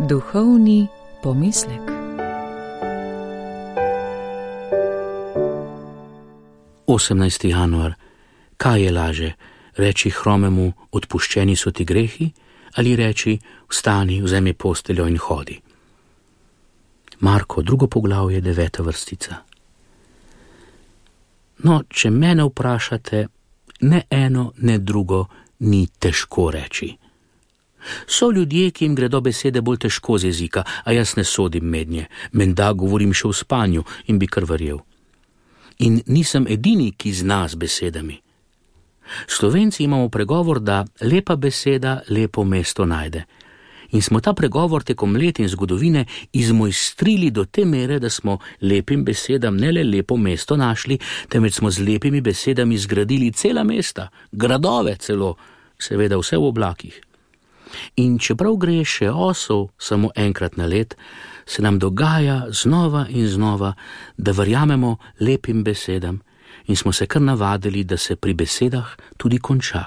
Duhovni pomislek. Januar. Kaj je laže? Reči hromemu, odpuščeni so ti grehi, ali reči, vstani, vzemi posteljo in hodi? Marko, 2. poglavje, 9. vrstica. No, če mene vprašate, ne eno, ne drugo ni težko reči. So ljudje, ki jim gredo besede bolj težko z jezika, a jaz ne sodim mednje. Menda govorim še v spanju in bi kar verjel. In nisem edini, ki zna z besedami. Slovenci imamo pregovor, da lepa beseda lepo mesto najde. In smo ta pregovor tekom let in zgodovine izmojstrili do te mere, da smo lepim besedam ne le lepo mesto našli, temveč smo z lepimi besedami zgradili cela mesta, gradove celo, seveda vse v oblakih. In čeprav gre še osel samo enkrat na let, se nam dogaja znova in znova, da verjamemo lepim besedam in smo se kar navadili, da se pri besedah tudi konča.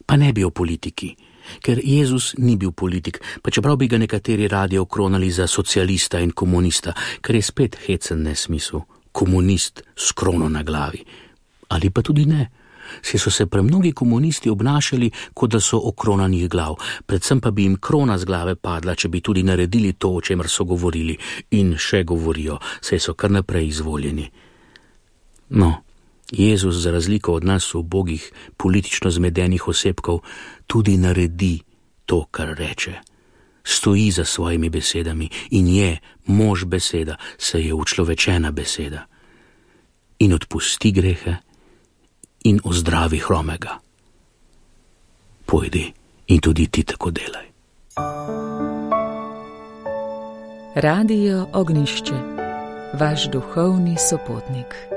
Pa ne bi o politiki, ker Jezus ni bil politik, pa čeprav bi ga nekateri radi okronali za socialista in komunista, ker je spet hecen nesmisel, komunist s krono na glavi. Ali pa tudi ne. Saj so se premnogi komunisti obnašali, kot da so okronanih glav, predvsem pa bi jim krona z glave padla, če bi tudi naredili to, o čemer so govorili in še govorijo, saj so kar naprej izvoljeni. No, Jezus, za razliko od nas ubogih, politično zmedenih osebkov, tudi naredi to, kar reče. Stoji za svojimi besedami in je mož beseda, saj je učlovečena beseda. In odpusti grehe in ozdravi hromega. Pojdi in tudi ti tako delaj. Radio Ognjišče, vaš duhovni sopotnik.